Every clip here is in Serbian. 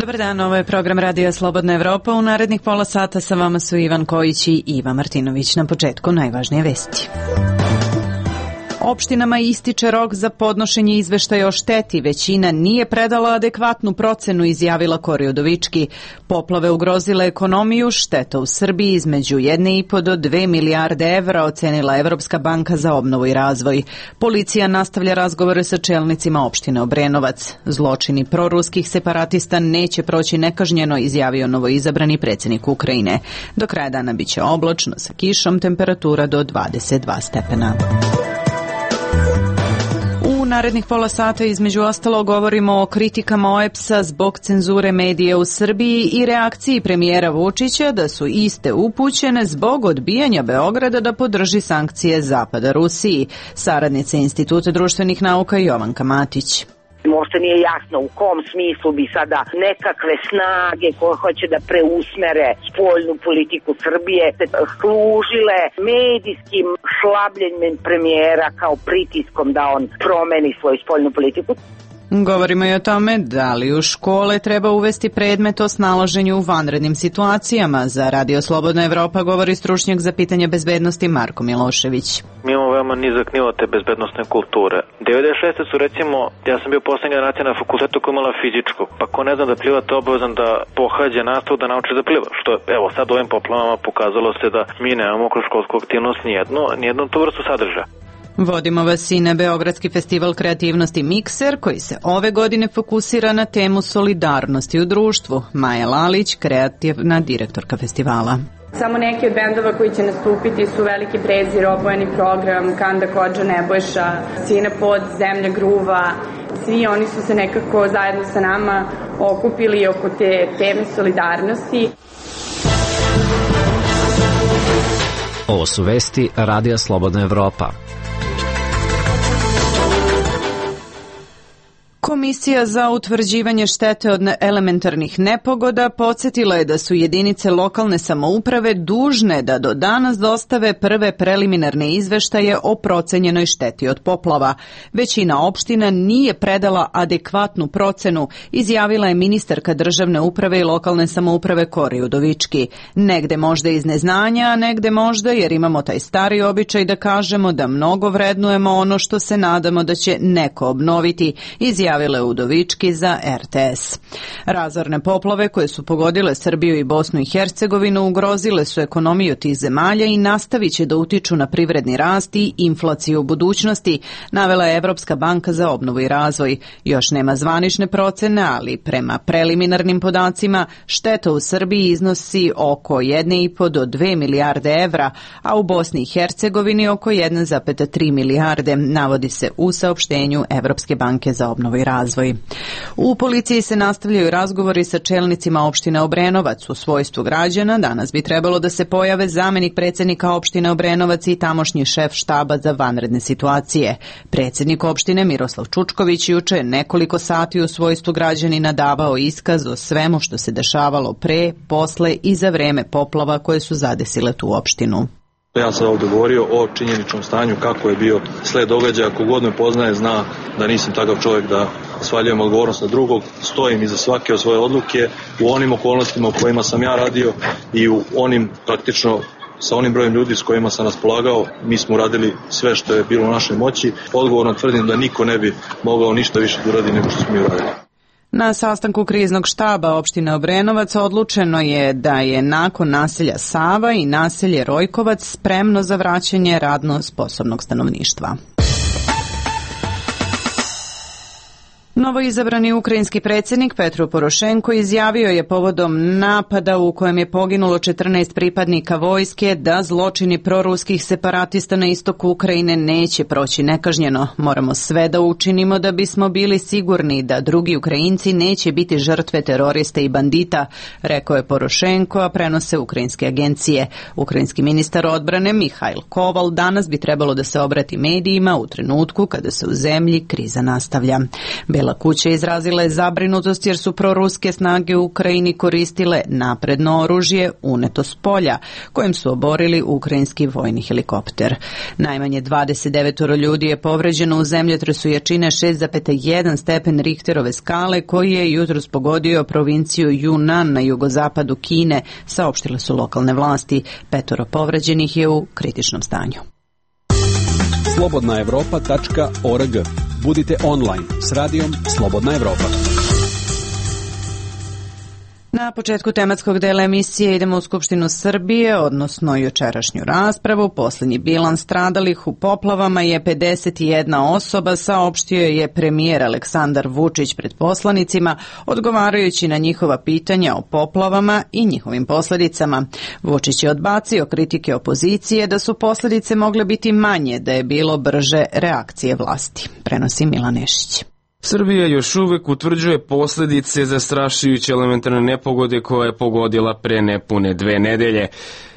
Dobar dan, ovo je program Radija Slobodna Evropa. U narednih pola sata sa vama su Ivan Kojić i Iva Martinović. Na početku najvažnije vesti. Opštinama ističe rok za podnošenje izveštaja o šteti. Većina nije predala adekvatnu procenu, izjavila Kori Udovički. Poplave ugrozile ekonomiju, šteta u Srbiji između 1,5 do 2 milijarde evra, ocenila Evropska banka za obnovu i razvoj. Policija nastavlja razgovore sa čelnicima opštine Obrenovac. Zločini proruskih separatista neće proći nekažnjeno, izjavio novoizabrani predsjednik Ukrajine. Do kraja dana biće oblačno sa kišom, temperatura do 22 stepena. U narednih pola sata između ostalo govorimo o kritikama OEBS-a zbog cenzure medija u Srbiji i reakciji premijera Vučića da su iste upućene zbog odbijanja Beograda da podrži sankcije Zapada Rusiji. Saradnica Instituta društvenih nauka Jovanka Matić. Možda nije jasno u kom smislu bi sada nekakve snage koje hoće da preusmere spoljnu politiku Srbije služile medijskim šlabljenjem premijera kao pritiskom da on promeni svoju spoljnu politiku. Govorimo i o tome da li u škole treba uvesti predmet o snalaženju u vanrednim situacijama. Za Radio Slobodna Evropa govori stručnjak za pitanje bezbednosti Marko Milošević. Mi imamo veoma nizak nivo te bezbednostne kulture. 96. su recimo, ja sam bio poslednja generacija na fakultetu koja imala fizičko, pa ko ne zna da pliva, to je obavezan da pohađa nastavu da nauči da pliva. Što evo sad ovim poplavama pokazalo se da mi nemamo kroz školsku aktivnost nijednu tu vrstu sadržaja. Vodimo vas i na Beogradski festival kreativnosti Mikser, koji se ove godine fokusira na temu solidarnosti u društvu. Maja Lalić, kreativna direktorka festivala. Samo neki od bendova koji će nastupiti su Veliki prezir, Obojeni program, Kanda Kodža, Nebojša, Sina pod, Zemlja gruva. Svi oni su se nekako zajedno sa nama okupili oko te teme solidarnosti. Ovo su vesti Radija Slobodna Evropa. Komisija za utvrđivanje štete od elementarnih nepogoda podsjetila je da su jedinice lokalne samouprave dužne da do danas dostave prve preliminarne izveštaje o procenjenoj šteti od poplava. Većina opština nije predala adekvatnu procenu, izjavila je ministarka državne uprave i lokalne samouprave Kori Udovički. Negde možda iz neznanja, a negde možda jer imamo taj stari običaj da kažemo da mnogo vrednujemo ono što se nadamo da će neko obnoviti, izjavila Udovički za RTS. Razorne poplave koje su pogodile Srbiju i Bosnu i Hercegovinu ugrozile su ekonomiju tih zemalja i nastavit će da utiču na privredni rast i inflaciju u budućnosti, navela je Evropska banka za obnovu i razvoj. Još nema zvanične procene, ali prema preliminarnim podacima šteta u Srbiji iznosi oko 1,5 do 2 milijarde evra, a u Bosni i Hercegovini oko 1,3 milijarde, navodi se u saopštenju Evropske banke za obnovu i razvoj. U policiji se nastavljaju razgovori sa čelnicima opštine Obrenovac u svojstvu građana. Danas bi trebalo da se pojave zamenik predsjednika opštine Obrenovac i tamošnji šef štaba za vanredne situacije. Predsjednik opštine Miroslav Čučković juče nekoliko sati u svojstvu građanina davao iskaz o svemu što se dešavalo pre, posle i za vreme poplava koje su zadesile tu opštinu. Ja sam ovdje govorio o činjeničnom stanju, kako je bio sled događaja. Kogod me poznaje zna da nisam takav čovjek da svaljujem odgovornost na drugog. Stojim iza svake od svoje odluke u onim okolnostima u kojima sam ja radio i u onim praktično sa onim brojem ljudi s kojima sam raspolagao. Mi smo uradili sve što je bilo u našoj moći. Odgovorno tvrdim da niko ne bi mogao ništa više da uradi nego što smo mi uradili. Na sastanku kriznog štaba opštine Obrenovac odlučeno je da je nakon naselja Sava i naselje Rojkovac spremno za vraćanje radno sposobnog stanovništva. Novoizabrani ukrajinski predsjednik Petro Porošenko izjavio je povodom napada u kojem je poginulo 14 pripadnika vojske da zločini proruskih separatista na istoku Ukrajine neće proći nekažnjeno. Moramo sve da učinimo da bismo bili sigurni da drugi Ukrajinci neće biti žrtve terorista i bandita, rekao je Porošenko, a prenose ukrajinske agencije. Ukrajinski ministar odbrane Mihajl Koval danas bi trebalo da se obrati medijima u trenutku kada se u zemlji kriza nastavlja. Bijela kuća izrazila je zabrinutost jer su proruske snage u Ukrajini koristile napredno oružje uneto s polja, kojim su oborili ukrajinski vojni helikopter. Najmanje 29 ljudi je povređeno u zemljotresu jačine 6,1 stepen Richterove skale koji je jutros pogodio provinciju Yunnan na jugozapadu Kine, saopštile su lokalne vlasti. 5 povređenih je u kritičnom stanju. slobodnaevropa.org. Budite online s radijom Slobodna Evropa. Na početku tematskog dela emisije idemo u Skupštinu Srbije, odnosno jučerašnju raspravu. Posljednji bilans stradalih u poplavama je 51 osoba, saopštio je premijer Aleksandar Vučić pred poslanicima, odgovarajući na njihova pitanja o poplavama i njihovim posljedicama. Vučić je odbacio kritike opozicije da su posljedice mogle biti manje da je bilo brže reakcije vlasti. Prenosi Milan Nešić. Srbija još uvek utvrđuje posljedice zastrašujuće elementarne nepogode koja je pogodila pre nepune 2 nedelje.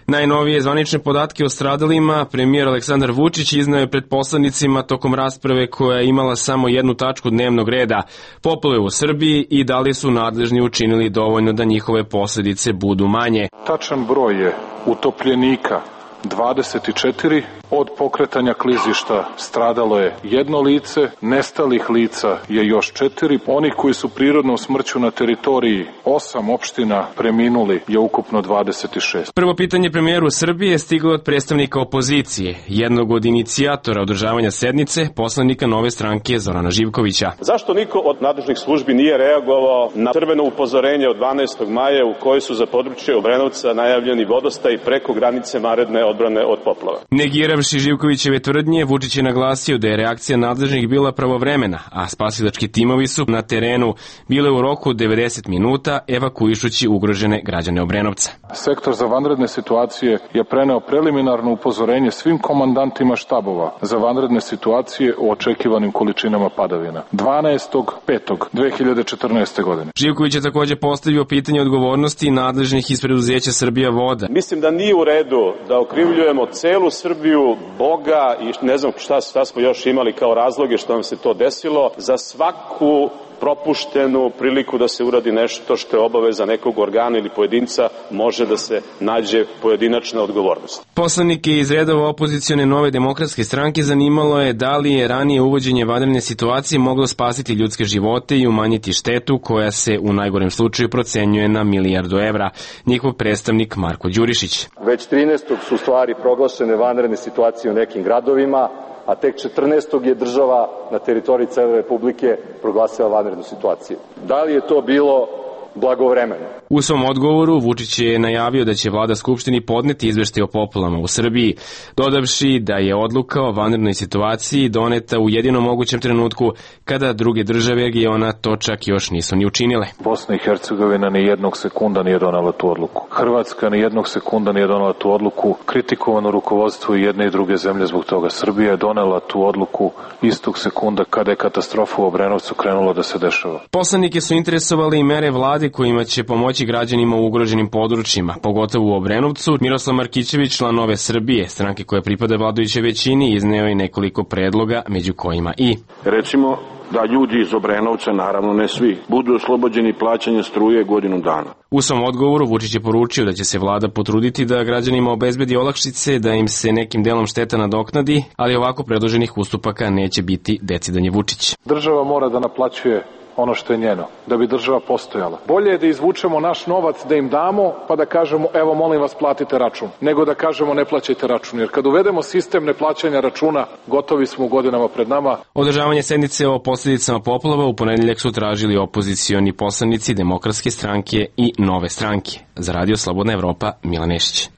Najnovije zvanične podatke o stradalima premijer Aleksandar Vučić izneo je pred poslanicima tokom rasprave koja je imala samo jednu tačku dnevnog reda, poplave u Srbiji i da li su nadležni učinili dovoljno da njihove posljedice budu manje. Tačan broj je utopljenika 24, od pokretanja klizišta stradalo je 1 lice, nestalih lica je još 4, onih koji su prirodnom smrću na teritoriji 8 opština preminuli je ukupno 26. Prvo pitanje premijeru Srbije je stiglo od predstavnika opozicije, jednog od inicijatora održavanja sednice, poslanika Nove stranke Zorana Živkovića. Zašto niko od nadležnih službi nije reagovao na crveno upozorenje od 12. maja u kojoj su za područje Obrenovca najavljeni vodostaj preko granice vanredne odbrane od poplava? Negiravši Živkovićeve tvrdnje, Vučić je naglasio da je reakcija nadležnih bila pravovremena, a spasilački timovi su na terenu bile u roku 90 minuta evakuišući ugrožene građane Obrenovca. Sektor za vanredne situacije je preneo preliminarno upozorenje svim komandantima štabova za vanredne situacije o očekivanim količinama padavina 12.5.2014. godine. Živković je također postavio pitanje odgovornosti nadležnih iz preduzeća Srbija voda. Mislim da nije u redu da okrivljujemo celu Srbiju, Boga i ne znam šta smo još imali kao razloge što nam se to desilo, za svaku propuštenu priliku da se uradi nešto što je obaveza nekog organa ili pojedinca može da se nađe pojedinačna odgovornost. Poslanike iz redova opozicione Nove demokratske stranke zanimalo je da li je ranije uvođenje vanredne situacije moglo spasiti ljudske živote i umanjiti štetu koja se u najgorem slučaju procenjuje na 1 milijardu evra. Njihov predstavnik Marko Đurišić. Već 13. su stvari proglašene vanredne situacije u nekim gradovima, a tek 14. je država na teritoriji cele Republike proglasila vanrednu situaciju. Da li je to bilo blagovremeno? U svom odgovoru Vučić je najavio da će vlada Skupštini podneti izveštaj o poplavama u Srbiji, dodavši da je odluka o vanrednoj situaciji doneta u jedinom mogućem trenutku kada druge države regiona to čak još nisu ni učinile. Bosna i Hercegovina ni jednog sekunda nije donela tu odluku. Hrvatska ni jednog sekunda nije donela tu odluku. Kritikovano rukovodstvo i jedne i druge zemlje zbog toga. Srbija je donela tu odluku istog sekunda kada je katastrofa u Obrenovcu krenula da se dešava. Poslanike su interesovali i mere vlade kojima će pomoći građanima u ugroženim područjima, pogotovo u Obrenovcu. Miroslav Markićević, član Nove Srbije, stranke koja pripada vladajućoj većini, izneo je nekoliko predloga, među kojima i recimo da ljudi iz Obrenovca, naravno ne svi, budu oslobođeni plaćanja struje godinu dana. U svom odgovoru Vučić je poručio da će se vlada potruditi da građanima obezbedi olakšice, da im se nekim delom šteta nadoknadi, ali ovako predloženih ustupaka neće biti, decidanje Vučić. Država mora da naplaćuje ono što je njeno, da bi država postojala. Bolje je da izvučemo naš novac, da im damo, pa da kažemo evo molim vas platite račun, nego da kažemo ne plaćajte račun, jer kad uvedemo sistem neplaćanja računa, gotovi smo u godinama pred nama. Održavanje sednice o posljedicama poplava u ponedeljak su tražili opozicioni poslanici Demokratske stranke i Nove stranke. Za Radio Slobodna Evropa, Milan Nešić.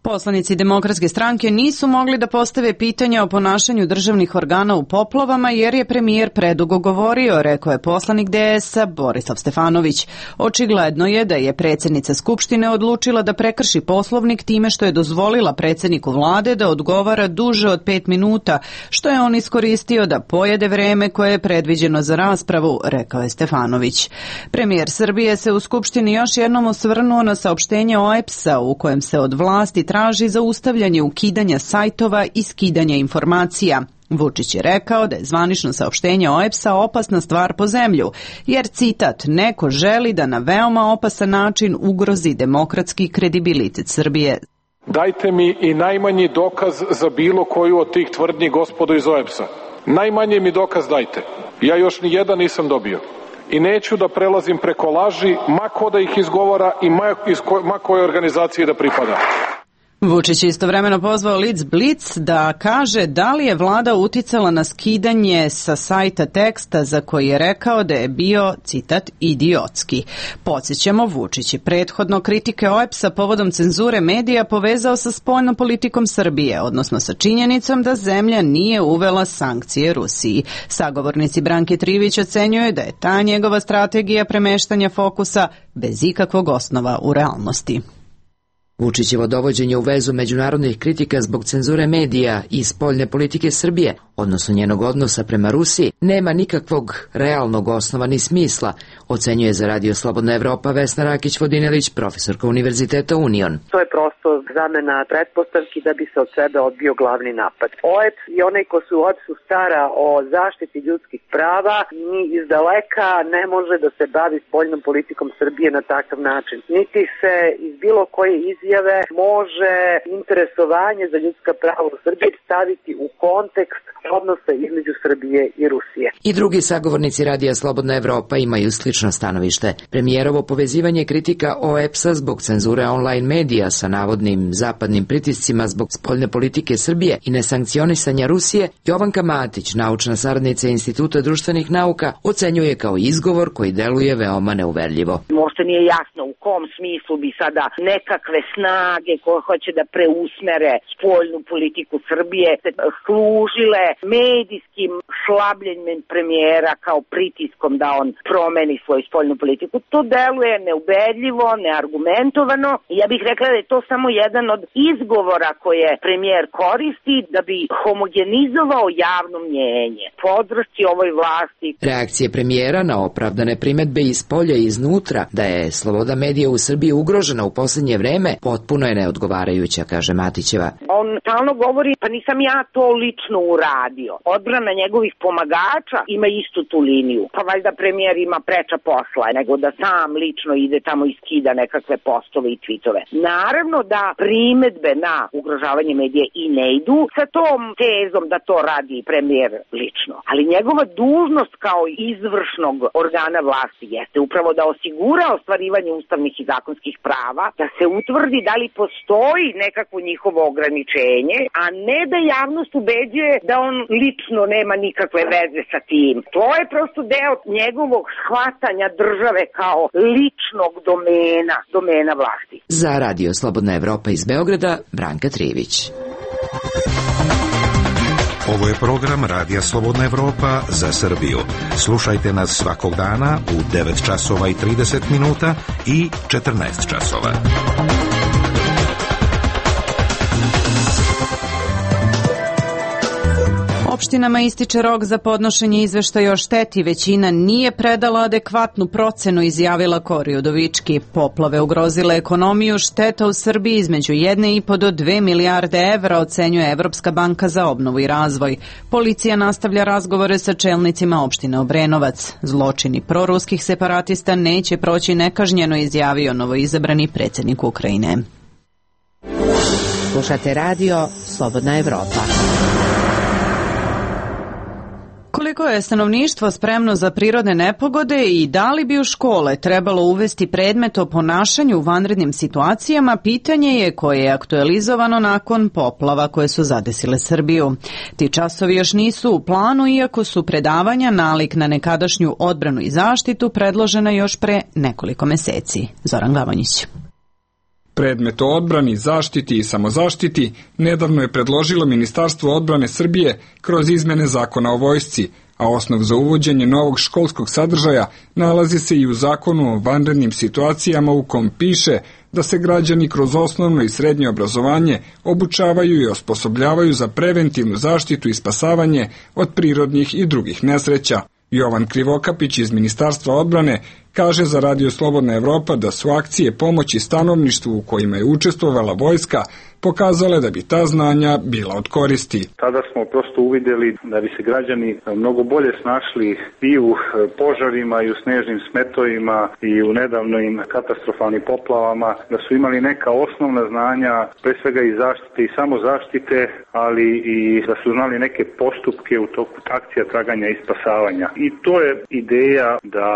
Poslanici Demokratske stranke nisu mogli da postave pitanja o ponašanju državnih organa u poplavama jer je premijer predugo govorio, rekao je poslanik DS-a Borislav Stefanović. Očigledno je da je predsjednica Skupštine odlučila da prekrši Poslovnik time što je dozvolila predsjedniku vlade da odgovara duže od 5 minuta, što je on iskoristio da pojede vreme koje je predviđeno za raspravu, rekao je Stefanović. Premijer Srbije se u Skupštini još jednom osvrnuo na saopštenje OEBS-a u kojem se od vlasti traži zaustavljanje ukidanja sajtova i skidanja informacija. Vučić je rekao da je zvanično saopštenje OEBS-a opasna stvar po zemlju, jer, citat, neko želi da na veoma opasan način ugrozi demokratski kredibilitet Srbije. Dajte mi i najmanji dokaz za bilo koju od tih tvrdnji, gospodo iz OEBS-a. Najmanje mi dokaz dajte. Ja još ni jedan nisam dobio. I neću da prelazim preko laži, ma ko da ih izgovara i ma kojoj organizaciji da pripada. Vučić je istovremeno pozvao Lic Blic da kaže da li je vlada uticala na skidanje sa sajta teksta za koji je rekao da je bio, citat, idiotski. Podsjećamo, Vučić je prethodno kritike OEBS-a povodom cenzure medija povezao sa spoljnom politikom Srbije, odnosno sa činjenicom da zemlja nije uvela sankcije Rusiji. Sagovornici Branke Trivić ocenjuje da je ta njegova strategija premeštanja fokusa bez ikakvog osnova u realnosti. Vučićevo dovođenje u vezu međunarodnih kritika zbog cenzure medija i spoljne politike Srbije, odnosno njenog odnosa prema Rusiji, nema nikakvog realnog osnova ni smisla, ocenjuje za Radio Slobodna Evropa Vesna Rakić-Vodinelić, profesorka Univerziteta Union. To je prosto zamena pretpostavki da bi se od sebe odbio glavni napad. OEBS i onaj ko se u OEBS-u stara o zaštiti ljudskih prava ni iz daleka ne može da se bavi spoljnom politikom Srbije na takav način. Niti se iz bilo koje izjave može interesovanje za ljudska prava u Srbiji staviti u kontekst odnosa između Srbije i Rusije. I drugi sagovornici Radija Slobodna Evropa imaju slično stanovište. Premijerovo povezivanje kritika OEBS-a zbog cenzure online medija sa navodnim zapadnim pritiscima zbog spoljne politike Srbije i nesankcionisanja Rusije, Jovanka Matić, naučna saradnica Instituta društvenih nauka, ocenjuje kao izgovor koji deluje veoma neuverljivo. Možda nije jasno u kom smislu bi sada nekakve snage koje hoće da preusmere spoljnu politiku Srbije se služile medijskim šlabljenjem premijera kao pritiskom da on promeni svoju spoljnu politiku. To deluje neubedljivo, neargumentovano. Ja bih rekla da je to samo jedan od izgovora koje premijer koristi da bi homogenizovao javno mnjenje, podršci ovoj vlasti. Reakcije premijera na opravdane primetbe iz polja i iznutra da je sloboda medija u Srbiji ugrožena u poslednje vreme potpuno je neodgovarajuća, kaže Matićeva. On stalno govori, pa nisam ja to lično uradio. Odbrana njegovih pomagača ima istu tu liniju. Pa valjda premijer ima preča posla nego da sam lično ide tamo i skida nekakve postove i tvitove. Naravno da primetbe na ugrožavanje medija i ne idu sa tom tezom da to radi premijer lično. Ali njegova dužnost kao izvršnog organa vlasti jeste upravo da osigura ostvarivanje ustavnih i zakonskih prava, da se utvrdi da li postoji nekakvo njihovo ograničenje, a ne da javnost ubeđuje da on lično nema nikakve veze sa tim. To je prosto deo njegovog shvatanja države kao ličnog domena vlasti. Za Radio Slobodna Evropa iz Beograda, Branka Trivić. Ovo je program Radija Slobodna Evropa za Srbiju. Slušajte nas svakog dana u 9 časova i 30 minuta i 14 časova. Opštinama ističe rok za podnošenje izveštaja o šteti. Većina nije predala adekvatnu procenu, izjavila Kori Udovički. Poplave ugrozile ekonomiju, šteta u Srbiji između 1,5 do 2 milijarde evra, ocenjuje Evropska banka za obnovu i razvoj. Policija nastavlja razgovore sa čelnicima opštine Obrenovac. Zločini proruskih separatista neće proći nekažnjeno, izjavio novoizabrani predsjednik Ukrajine. Slušate radio Slobodna Evropa. Koliko je stanovništvo spremno za prirodne nepogode i da li bi u škole trebalo uvesti predmet o ponašanju u vanrednim situacijama, pitanje je koje je aktualizovano nakon poplava koje su zadesile Srbiju. Ti časovi još nisu u planu, iako su predavanja nalik na nekadašnju odbranu i zaštitu predložena još pre nekoliko meseci. Zoran Glavonjić. Predmet o odbrani, zaštiti i samozaštiti nedavno je predložilo Ministarstvo odbrane Srbije kroz izmene zakona o vojsci, a osnov za uvođenje novog školskog sadržaja nalazi se i u zakonu o vanrednim situacijama u kom piše da se građani kroz osnovno i srednje obrazovanje obučavaju i osposobljavaju za preventivnu zaštitu i spasavanje od prirodnih i drugih nesreća. Jovan Krivokapić iz Ministarstva odbrane kaže za Radio Slobodna Evropa da su akcije pomoći stanovništvu u kojima je učestvovala vojska pokazale da bi ta znanja bila od koristi. Tada smo prosto uvidjeli da bi se građani mnogo bolje snašli i u požarima i u snežnim smetovima i u nedavnim katastrofalnim poplavama, da su imali neka osnovna znanja, pre svega i zaštite i samozaštite, ali i da su znali neke postupke u toku akcija traganja i spasavanja. I to je ideja da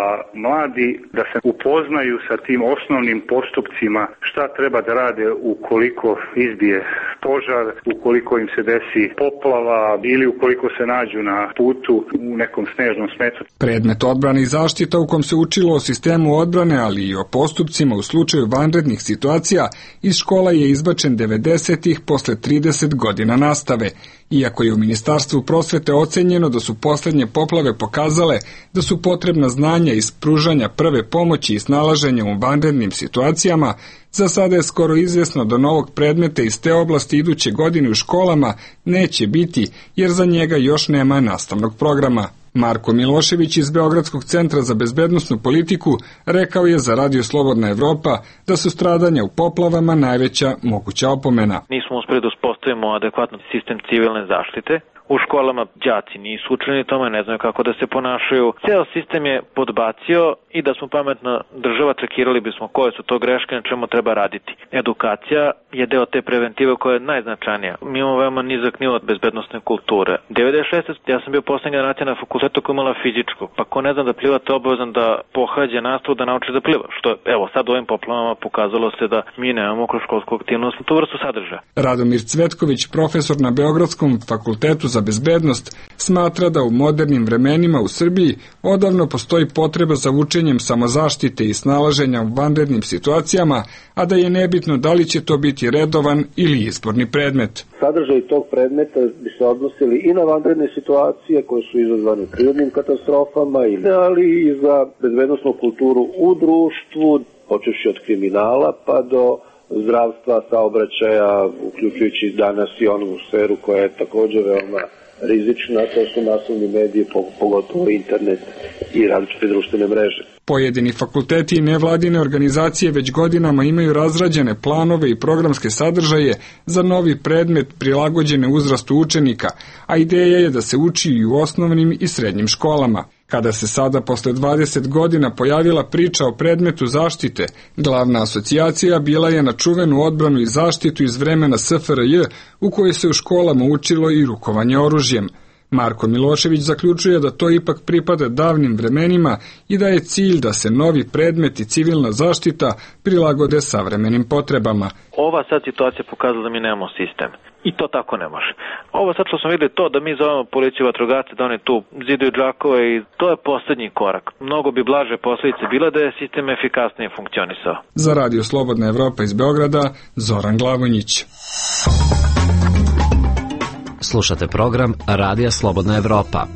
mladi da se upoznaju sa tim osnovnim postupcima, šta treba da rade ukoliko izbije požar, ukoliko im se desi poplava ili ukoliko se nađu na putu u nekom snežnom smetu. Predmet odbrane i zaštita u kom se učilo o sistemu odbrane, ali i o postupcima u slučaju vanrednih situacija iz škola je izbačen 90-ih posle 30 godina nastave. Iako je u Ministarstvu prosvete ocenjeno da su poslednje poplave pokazale da su potrebna znanja iz pružanja prve pomoći i snalaženja u vanrednim situacijama, za sada je skoro izvjesno da novog predmeta iz te oblasti iduće godine u školama neće biti, jer za njega još nema nastavnog programa. Marko Milošević iz Beogradskog centra za bezbednosnu politiku rekao je za Radio Slobodna Evropa da su stradanja u poplavama najveća moguća opomena. Nismo uspeli da uspostavimo adekvatan sistem civilne zaštite. U školama đaci nisu učeni tome, ne znaju kako da se ponašaju. Ceo sistem je podbacio i da smo pametna država čekirali bismo koje su to greške, na čemu treba raditi. Edukacija je deo te preventive koja je najznačajnija. Mi imamo veoma nizak nivo bezbednosne kulture. 96. ja sam bio poslednja generacija na fakultetu koja imala fizičku, pa ko ne zna da pliva je obavezan da pohađa nastavu da nauči da pliva. Što evo sad u ovim poplavama pokazalo se da mi nemamo kroz školsku aktivnost tu vrstu sadržaja. Radomir Cvetković, profesor na Beogradskom fakultetu za bezbednost, smatra da u modernim vremenima u Srbiji odavno postoji potreba za učenjem samozaštite i snalaženja u vanrednim situacijama, a da je nebitno da li će to biti redovan ili izborni predmet. Sadržaj tog predmeta bi se odnosili i na vanredne situacije koje su izazvane prirodnim katastrofama, ali i za bezbednosnu kulturu u društvu, počevši od kriminala pa do zdravstva, saobraćaja, uključujući danas i onu sferu koja je također veoma rizična, to su masovni mediji, pogotovo internet i različite društvene mreže. Pojedini fakulteti i nevladine organizacije već godinama imaju razrađene planove i programske sadržaje za novi predmet prilagođene uzrastu učenika, a ideja je da se uči i u osnovnim i srednjim školama. Kada se sada posle 20 godina pojavila priča o predmetu zaštite, glavna asocijacija bila je na čuvenu odbranu i zaštitu iz vremena SFRJ u kojoj se u školama učilo i rukovanje oružjem. Marko Milošević zaključuje da to ipak pripada davnim vremenima i da je cilj da se novi predmet i civilna zaštita prilagode savremenim potrebama. Ova sad situacija pokazala da mi nemamo sistem. I to tako ne može. Ovo sad što smo videli to da mi zovemo policiju vatrogasce, da oni tu ziduju džakove i to je poslednji korak. Mnogo bi blaže posljedice bila da je sistem efikasnije funkcionisao. Za Radio Slobodna Evropa iz Beograda, Zoran Glavonjić. Slušate program Radija Slobodna Evropa.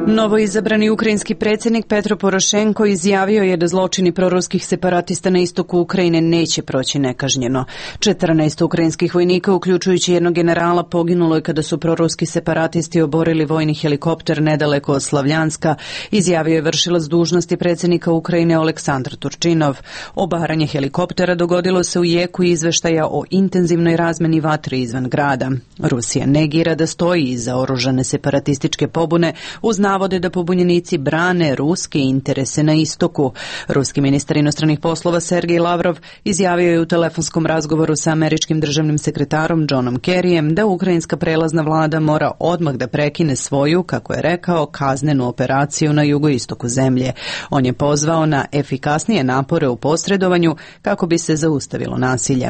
Novoizabrani ukrajinski predsjednik Petro Porošenko izjavio je da zločini proruskih separatista na istoku Ukrajine neće proći nekažnjeno. 14 ukrajinskih vojnika, uključujući jednog generala, poginulo je kada su proruski separatisti oborili vojni helikopter nedaleko od Slavljanska, izjavio je vršilac dužnosti predsjednika Ukrajine Oleksandar Turčinov. Obaranje helikoptera dogodilo se u jeku izveštaja o intenzivnoj razmeni vatre izvan grada. Rusija negira da stoji iza oružane separatističke pobune uz navode da pobunjenici brane ruske interese na istoku. Ruski ministar inostranih poslova Sergej Lavrov izjavio je u telefonskom razgovoru sa američkim državnim sekretarom Johnom Kerryjem da ukrajinska prelazna vlada mora odmah da prekine svoju, kako je rekao, kaznenu operaciju na jugoistoku zemlje. On je pozvao na efikasnije napore u posredovanju kako bi se zaustavilo nasilje.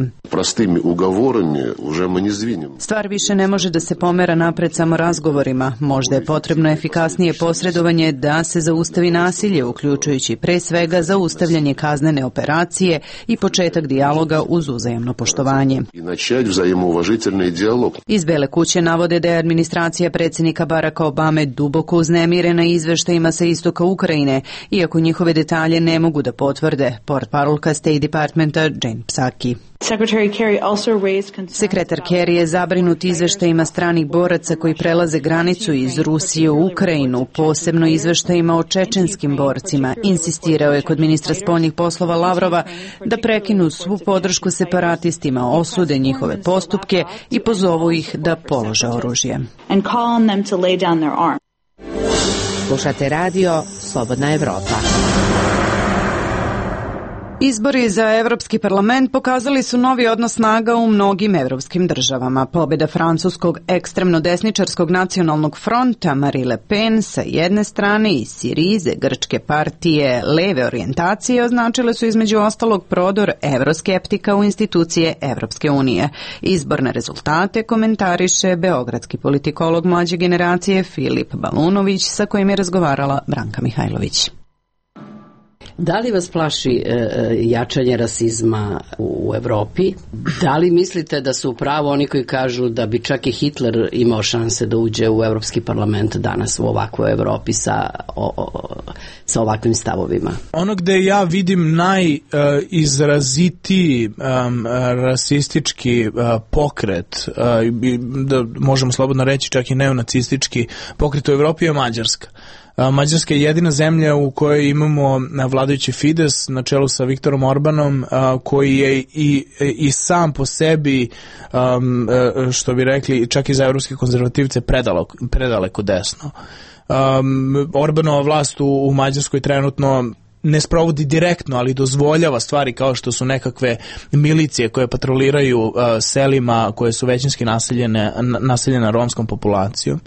Stvar više ne može da se pomera napred samo razgovorima. Možda je potrebno efikasnije posredovanje da se zaustavi nasilje, uključujući pre svega zaustavljanje kaznene operacije i početak dijaloga uz uzajamno poštovanje. Iz Bele kuće navode da je administracija predsjednika Baracka Obame duboko uznemirena izveštajima sa istoka Ukrajine, iako njihove detalje ne mogu da potvrde, portparolka State Departmenta Jen Psaki. Sekretar Kerry je zabrinut izveštajima stranih boraca koji prelaze granicu iz Rusije u Ukrajinu, u posebno izveštajima o čečenskim borcima. Insistirao je kod ministra spoljnih poslova Lavrova da prekinu svu podršku separatistima, osude njihove postupke i pozovu ih da polože oružje. Slušate radio Slobodna Evropa. Izbori za Evropski parlament pokazali su novi odnos snaga u mnogim evropskim državama. Pobjeda francuskog ekstremno desničarskog nacionalnog fronta Marine Le Pen sa jedne strane i Sirize, grčke partije leve orijentacije, označile su između ostalog prodor evroskeptika u institucije Evropske unije. Izborne rezultate komentariše beogradski politikolog mlađe generacije Filip Balunović, sa kojim je razgovarala Branka Mihajlović. Da li vas plaši jačanje rasizma u Evropi? Da li mislite da su upravo oni koji kažu da bi čak i Hitler imao šanse da uđe u Evropski parlament danas u ovakvoj Evropi sa ovakvim stavovima? Ono gde ja vidim najizrazitiji rasistički pokret, da možemo slobodno reći čak i neonacistički pokret u Evropi je Mađarska. Mađarska je jedina zemlja u kojoj imamo vladajući Fides na čelu sa Viktorom Orbanom, koji je i sam po sebi, što bi rekli, čak i za evropske konzervativce predaleko desno. Orbanova vlast u Mađarskoj trenutno ne sprovodi direktno, ali dozvoljava stvari kao što su nekakve milicije koje patroliraju selima koje su većinski naseljene romskom populacijom.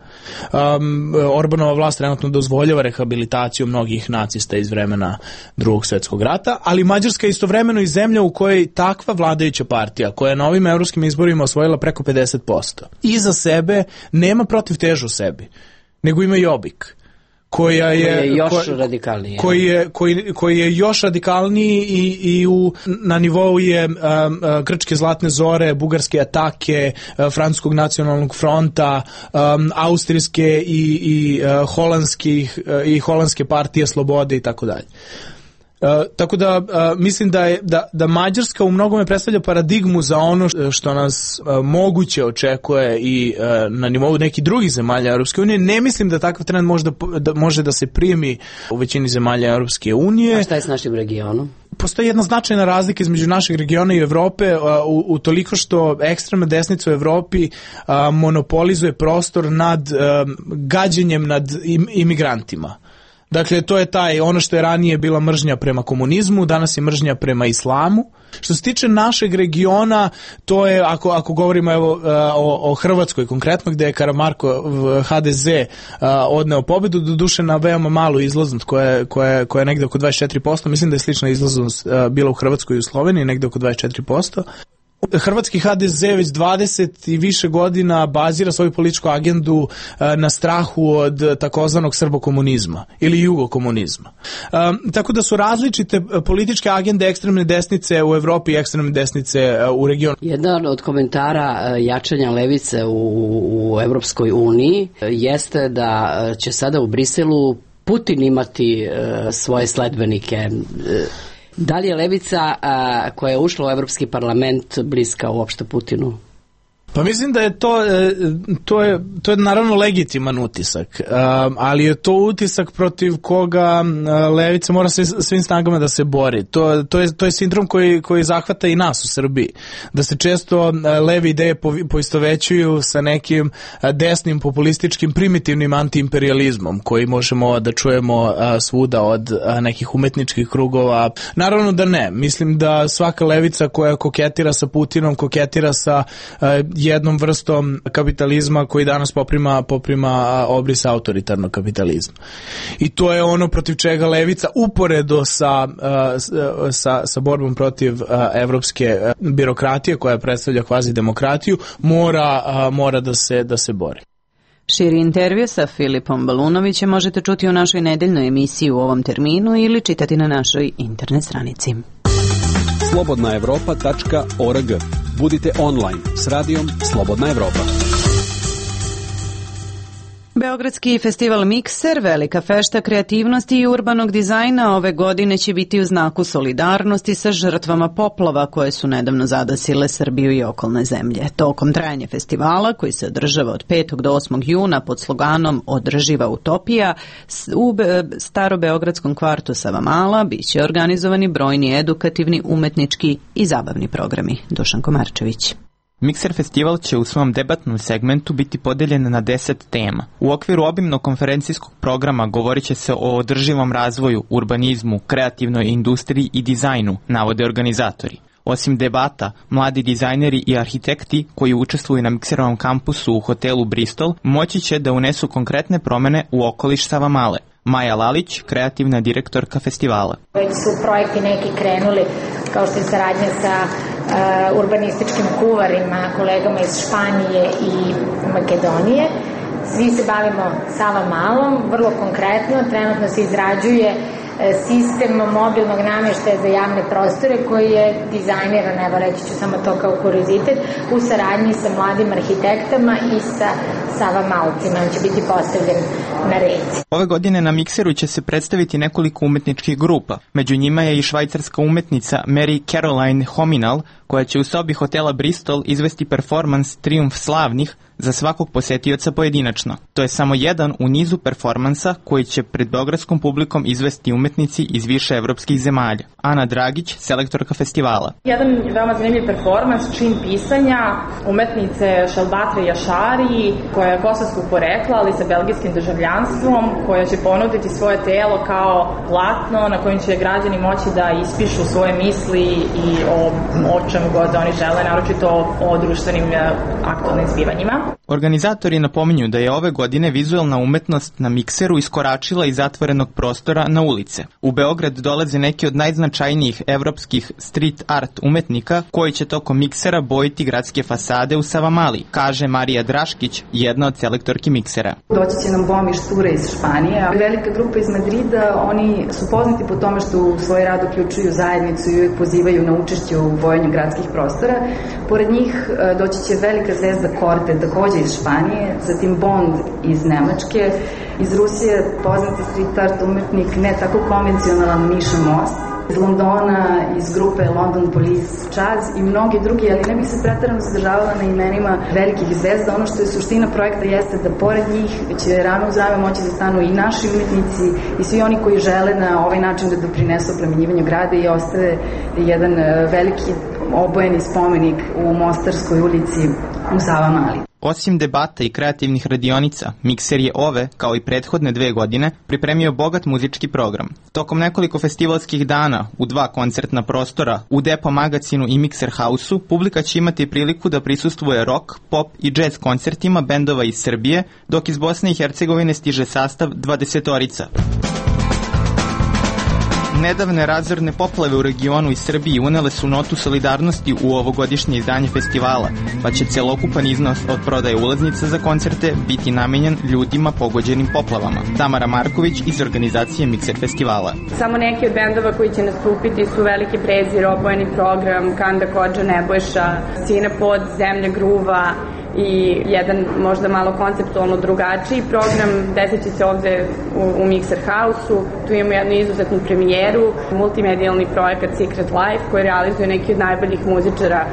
Orbanova vlast trenutno dozvoljava rehabilitaciju mnogih nacista iz vremena Drugog svjetskog rata, ali Mađarska je istovremeno i zemlja u kojoj takva vladajuća partija, koja je na ovim evropskim izborima osvojila preko 50%, iza sebe nema protiv težu u sebi, nego ima Jobbik, koji je još radikalniji i na nivou je grčke zlatne zore, bugarske atake, francuskog nacionalnog fronta, austrijske i holandske partije slobode i tako dalje. Tako da mislim da Mađarska u mnogome predstavlja paradigmu za ono što nas moguće očekuje i na nivou nekih drugih zemalja Europske unije. Ne mislim da takav trend može da se primi u većini zemalja Europske unije. A šta je s našim regionom? Postoji jedna značajna razlika između našeg regiona i Evrope u toliko što ekstremna desnica u Evropi monopolizuje prostor nad gađenjem nad imigrantima. Dakle, to je ono što je ranije bila mržnja prema komunizmu, danas je mržnja prema islamu. Što se tiče našeg regiona, to je, ako govorimo o Hrvatskoj konkretno, gde je Karamarko HDZ odneo pobedu, doduše na veoma malu izlaznost koja je negde oko 24%, mislim da je slična izlaznost bila u Hrvatskoj i u Sloveniji, negde oko 24%. Hrvatski HDZ već 20 i više godina bazira svoju političku agendu na strahu od takozvanog srbokomunizma ili jugokomunizma. Tako da su različite političke agende ekstremne desnice u Evropi i ekstremne desnice u regionu. Jedan od komentara jačanja levice u Evropskoj uniji jeste da će sada u Briselu Putin imati svoje sledbenike. Da li je levica koja je ušla u Evropski parlament bliska uopšte Putinu? Pa mislim da je to je naravno legitiman utisak, ali je to utisak protiv koga levica mora svim snagama da se bori. To je sindrom koji zahvata i nas u Srbiji. Da se često leve ideje poistovećuju sa nekim desnim populističkim primitivnim antiimperializmom koji možemo da čujemo svuda od nekih umetničkih krugova. Naravno da ne. Mislim da svaka levica koja koketira sa Putinom, koketira sa jednom vrstom kapitalizma koji danas poprima obris autoritarnog kapitalizma. I to je ono protiv čega levica uporedo sa borbom protiv evropske birokratije koja predstavlja kvazi demokratiju mora da se bori. Širi intervju sa Filipom Balunovićem možete čuti u našoj nedeljnoj emisiji u ovom terminu ili čitati na našoj internet stranici. slobodnaevropa.org. Budite online s radijom Slobodna Evropa. Beogradski festival Mikser, velika fešta kreativnosti i urbanog dizajna, ove godine će biti u znaku solidarnosti sa žrtvama poplava koje su nedavno zadesile Srbiju i okolne zemlje. Tokom trajanja festivala, koji se održava od 5. do 8. juna pod sloganom Održiva utopija, u starobeogradskom kvartu Savamala biće organizovani brojni edukativni, umetnički i zabavni programi. Dušan Komarčević. Mikser festival će u svom debatnom segmentu biti podeljen na 10 tema. U okviru obimnog konferencijskog programa govorit će se o održivom razvoju, urbanizmu, kreativnoj industriji i dizajnu, navode organizatori. Osim debata, mladi dizajneri i arhitekti koji učestvuju na Mikserovom kampusu u hotelu Bristol moći će da unesu konkretne promene u okoliš Savamale. Maja Lalić, kreativna direktorka festivala. Već su projekti neki krenuli, kao što je saradnja sa urbanističkim kuvarima, kolegama iz Španije i Makedonije. Svi se bavimo Savamalom, vrlo konkretno, trenutno se izrađuje sistem mobilnog namještaja za javne prostore koji je dizajniran, evo reći ću samo to kao kuriozitet, u saradnji sa mladim arhitektama i sa Savamalcima. On će biti postavljen na reci. Ove godine na Mikseru će se predstaviti nekoliko umetničkih grupa. Među njima je i švajcarska umetnica Mary Caroline Hominal, koja će u sobi hotela Bristol izvesti performans Trijumf slavnih za svakog posetioca pojedinačno. To je samo jedan u nizu performansa koji će pred beogradskom publikom izvesti umetnici iz više evropskih zemalja. Ana Dragić, selektorka festivala. Jedan veoma zanimljiv performans, čin pisanja umetnice Šelbatre Jašari, koja je kosovskog porekla, ali sa belgijskim državljanstvom, koja će ponuditi svoje telo kao platno na kojem će građani moći da ispišu svoje misli i o čemu god oni žele, naročito o društvenim aktualnim zbivanjima. Organizatori napominju da je ove godine vizuelna umetnost na Mikseru iskoračila iz zatvorenog prostora na ulice. U Beograd dolaze neki od najznačajnijih evropskih street art umetnika koji će tokom Miksera bojiti gradske fasade u Savamali, kaže Marija Draškić, jedna od selektorki Miksera. Doći će nam Bomi Šture iz Španije, velika grupa iz Madrida, oni su poznati po tome što u svoj rad uključuju zajednicu i uvijek pozivaju na učešće u bojanju gradskih prostora. Pored njih doći će velika zvezda Korte, takođe iz Španije, zatim Bond iz Nemačke, iz Rusije poznati street art umetnik, ne tako konvencionalan Miša Most, iz Londona, iz grupe London Police Jazz i mnogi drugi, ali ne bih se preterano zadržavala na imenima velikih zvezda. Ono što je suština projekta jeste da pored njih će rame uz rame moći da stanu i naši umetnici i svi oni koji žele na ovaj način da doprinesu oplemenjivanju grada i ostave jedan veliki obojeni spomenik u Mostarskoj ulici u Savamali. Osim debata i kreativnih radionica, Mikser je ove, kao i prethodne 2 godine, pripremio bogat muzički program. Tokom nekoliko festivalskih dana u 2 koncertna prostora, u Depo magazinu i Mikser House-u, publika će imati priliku da prisustvuje rock, pop i jazz koncertima bendova iz Srbije, dok iz Bosne i Hercegovine stiže sastav 20-orica. Nedavne razorne poplave u regionu i Srbiji unele su notu solidarnosti u ovogodišnje izdanje festivala, pa će celokupan iznos od prodaje ulaznica za koncerte biti namenjen ljudima pogođenim poplavama. Tamara Marković iz organizacije Mikser festivala. Samo neki od bendova koji će nastupiti su Veliki prezir, Obojeni program, Kanda Kodža Nebojša, Sine pod, Zemlja gruva i jedan možda malo konceptualno drugačiji program desit će se ovde u Mikser House-u. Tu imamo jednu izuzetnu premijeru, multimedijalni projekat Secret Life koji realizuje neki od najboljih muzičara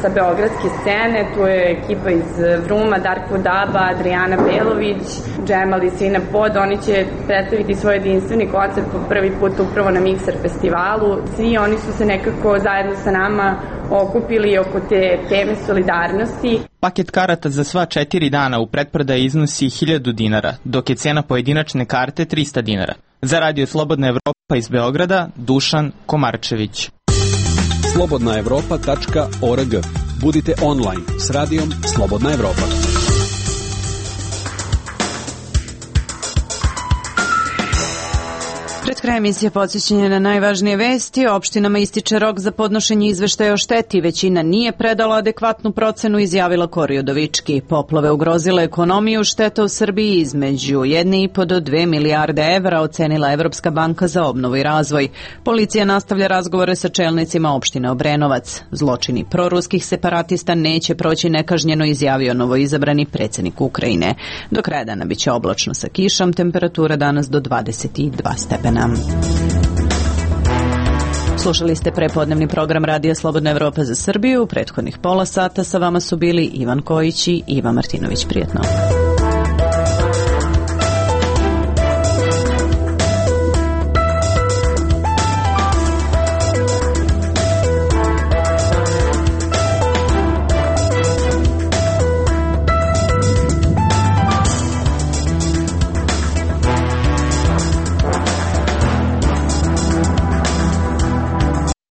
sa beogradske scene. Tu je ekipa iz Vruma, Darko Daba, Adriana Belović, Džemal i Sine pod. Oni će predstaviti svoj jedinstveni koncept po prvi put upravo na Mikser festivalu. Svi oni su se nekako zajedno sa nama okupili oko te teme solidarnosti. Paket karata za sva 4 dana u pretprodaji iznosi 1000 dinara, dok je cena pojedinačne karte 300 dinara. Za Radio Slobodna Evropa iz Beograda, Dušan Komarčević. slobodnaevropa.org. Budite online s radijom Slobodna Evropa. Pred kraj emisije podsjećanja na najvažnije vesti. Opštinama ističe rok za podnošenje izveštaja o šteti. Većina nije predala adekvatnu procenu, izjavila Kori Udovički. Poplave ugrozile ekonomiju, šteta u Srbiji između 1,5 do 2 milijarde evra, ocenila Evropska banka za obnovu i razvoj. Policija nastavlja razgovore sa čelnicima opštine Obrenovac. Zločini proruskih separatista neće proći nekažnjeno, izjavio novoizabrani predsjednik Ukrajine. Do kraja dana biće oblačno sa kišom, temperatura danas do 22 stepena. Slušali ste prepodnevni program Radija Slobodna Evropa za Srbiju. U prethodnih pola sata sa vama su bili Ivan Kojić i Iva Martinović. Prijetno.